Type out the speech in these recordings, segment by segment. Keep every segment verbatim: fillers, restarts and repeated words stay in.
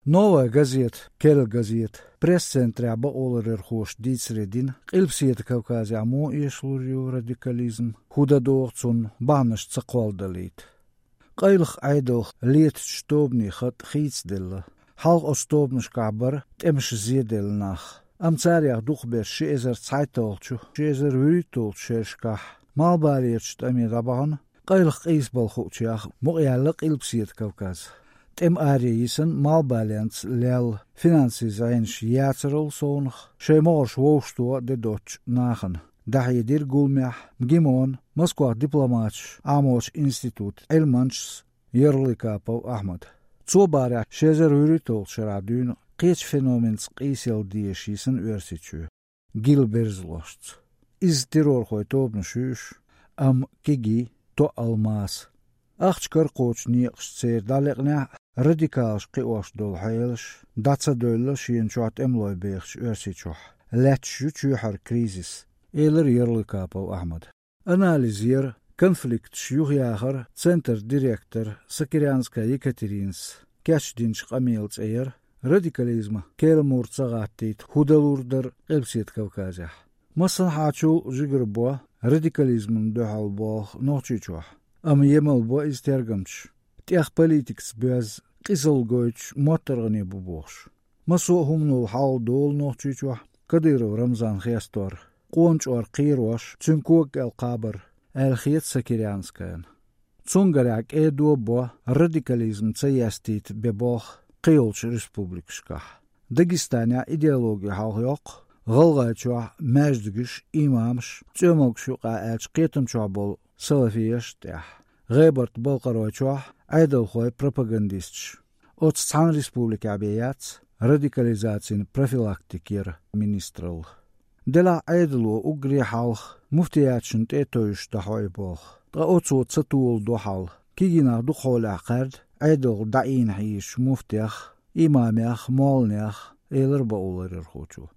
«Новая газета», «Керла газета» пресс-центрехь бакъоларъярхоша дийцаре дина, Къилбаседа Кавказехь муха эшалур ю радикализм, хӀун дан догӀу цунна, бахьанаш ца кхолладалийта. Къайлаха Ӏедалх летачу тобанийн хатӀ хийцаделла. Хьалха оцу тобанашкахь бара тӀемаша зеделла нах. Амма царех дукхахберш ши эзар цхьайтталгӀачу, ши эзар вуьрхӀитталгӀачу шерашкахь Малхбалерчу тӀаме дӀабахана, къайлаха къийсабала хуучех мукъаяьлла Къилбаседа Кавказ. ТӀема аре йисина Малхбаленца лелла финансийн зӀенаш яцарал совнах, шайн могӀарш вовшахтоха де доцучу нахана. ДӀахьедира гуламехь МГИМОн, Москвахь дипломаташ Ӏамочу институтан Ӏилманчас Ярлыкапов Ахьмада. Цо бахарехь, ши эзар вуьрхӀитталгӀачу шарахь дуьйна кхечу феноменца къийсалла дезаш йисина Оьрсийчоь. Гила берзалошца. Иза террорхойн тобанаш ю уьш, амма кегий, тоъал маса. Ахча-кара кхочу некъашца церан дӀалекънехь а, радикалаш кхиош долу хьелаш дӀа ца девлла шена чохь тӀемалой бехачу Оьрсийчохь, лаьтташ ю чоьхьара кризис, элира Ярлыкапов Ахьмада. Анализ яра конфликташ юхаяхаран центран директор Сокирянская Екатеринас кечдинчу къамелан цӀе яра «Радикализма керла мур ца гӀаттийта хӀун далур дара Къилбаседа Кавказехь». Массанхьачул жигара бо радикализмана дуьхьал болх Нохчийчохь, амма емал бо иза тергамчаша. ТӀех политикаца боьзна, къизалла гойтуш моттаргӀане бу бохуш. Массо а хӀуманал хьалха долу Нохчийчохь Кадыров Рамзан хестор, къона чкъор кхерош, цуьнан кога кӀел кхабар, аьлла хета Сокирянскаяна. Цунна гарехь, кӀеда бо радикализм ца естийта бен болх кхийолчу республикашкахь. Дагестанехь идеологи хьалхайоккху, ГӀалгӀайчохь маьждигаш, имамаш, цӀоьмалгаш юкъахь аьлча кхетам чохь болу салафеш а тӀехь, ГӀебарта-Балкхаройчохь Ӏедалхой, пропагандисташ. Оцу цхьана республикехь бен яц радикализацин профилактика яра министралла. Делахь Ӏедало уггаре хьалха муфтияташна тӀе а тевжаш дӀахьо и болх. Ткъа оцо ца толадо хьал. Кегий нах дукха хьолехь кхаьрда Ӏедалх дӀаийна хьийзачу муфтех, имамех, молланех, элира бакъоларъярхочо.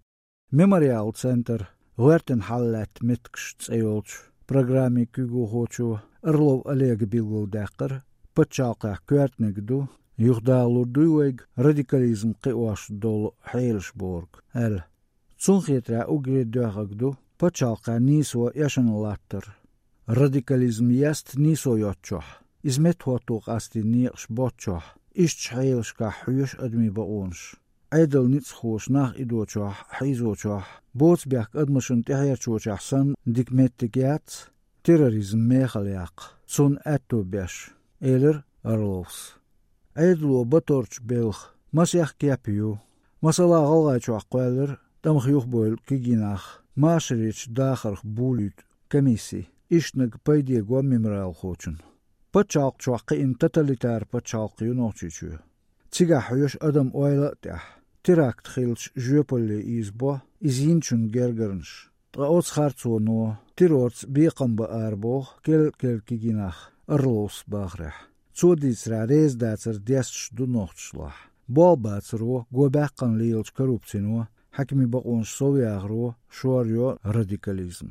«Мемориал» центр «ГӀоьртина хьал лаьтта меттигаш» цӀе йолчу программин куьйгалхочо Орлов Олега билгалдаьккхира, пачхьалкхехь коьртаниг ду, юхадахалур дуй вайга радикализм кхиош долу хьелаш бохург, аьлла. Цунна хетарехь, уггаре доьхнарг ду пачхьалкхехь нийсо эшна латтар. Радикализм еста нийсо йоцчохь, иза меттахӀотто къастийна некъаш боцчохь, ишттачу хьелашкахь хьоьшу адамийн бакъонаш. Ӏедалан ницкъахоша нах идочохь, хьийзочохь, боцу бехк адамашна тӀехьерчочохь санна дика меттиг яц терроризм мехала яккха, цунна аьтто беш, элира Орловс. Ӏедало баторчу белхан масех кеп ю. Масала, ГӀалгӀайчохь кхоьллира тӀамах юхабевлла кегий нах машаречу дахарх болуьйту комисси, ишттаниг пайде го мемориалхочунна. Пачхьалкхехь кхиъна тоталитар пачхьалкх ю Нохчийчоь. Цигахь хьоьшу адам ойла а тӀехь. Теракт хилча, жоьпалле ийзабо иза йинчун гергарнаш. Ткъа оцу харцоно террорца бекхам бан арабоху керла-керла кегий нах, Орловс бахарехь. Цо дийцарехь, реза дацар десташ ду нохчашлахь. Болх бацаро, го баьккхина лелачу коррупцино, хьаькамийн бакъонаш совъяхаро шорйо радикализм.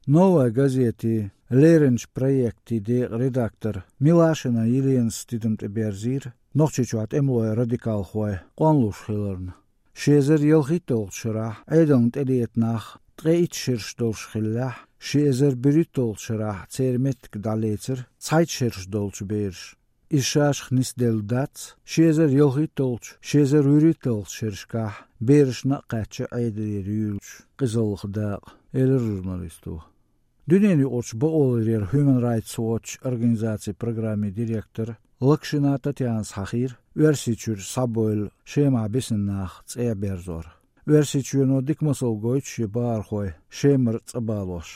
«Новая газетин» леринчу проектийн декъан редактор Милашина Еленас тидам тӀеберзийра Нохчийчохь тӀемалой, радикалхой къонлуш хиларна. Ши эзар ялхитталгӀачу шарахь Ӏедална тӀелета нах ткъе итт шераш долуш хиллехь, ши эзар берхӀитталгӀачу шарахь церан меттиг дӀалецира цхьайтта шераш долчу бераша. Иза ша-шах нисделла дац ши эзар ялхитталгӀачу, ши эзар вуьрхӀитталгӀачу шерашкахь берашна а кхаьчча Ӏедалера юьйлучу къизаллах дакъа, элира журналисто. Дуьненаюкъарчу бакъоларъяран Human Rights Watch организацин программин директор Локшина Татьянас хьахийра Оьрсийчуьра схьабевлла Шемахь бисина нах цӀа берзор. Оьрсийчоьно дика масал гойту шен бахархой Шемара цӀа балош.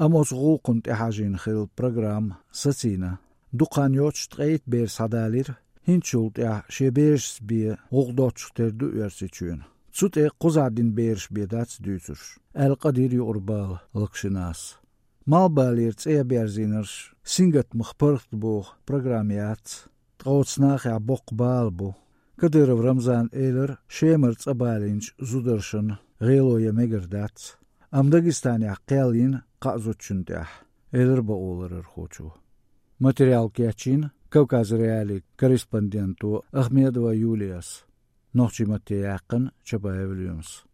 Амма оцу гӀуллакхна тӀехьажийна хилла программа сацийна. Дукха хан йоццуш ткъе итт бер схьадалийра, хӀинцачул тӀаьхьа шен берашца бен гӀуллакх доцчух тера ду Оьрсийчоьнан. Цу тӀе кхузахь дина бераш бен дац дуьйцурш, аьлла къадийра юкъара бала Локшинас. Малхбалера цӀа берзийнарш сингаттамах паргӀатбоху программа яц. Ткъа оцу нахехь боккха бала бу. Кадыров Рамзана элира, Шемара цӀа балийначу зударшна гӀело ян мегар дац. Амма Дагестанехь кхел йина кхаа зудчунна тӀехь, элира бакъоларъярхочо. Материал кечйина Кавказ.Реалиин корреспонденто Ахмедова Юлияс. Нохчий маттаца яьккхина Чабаев Юнус.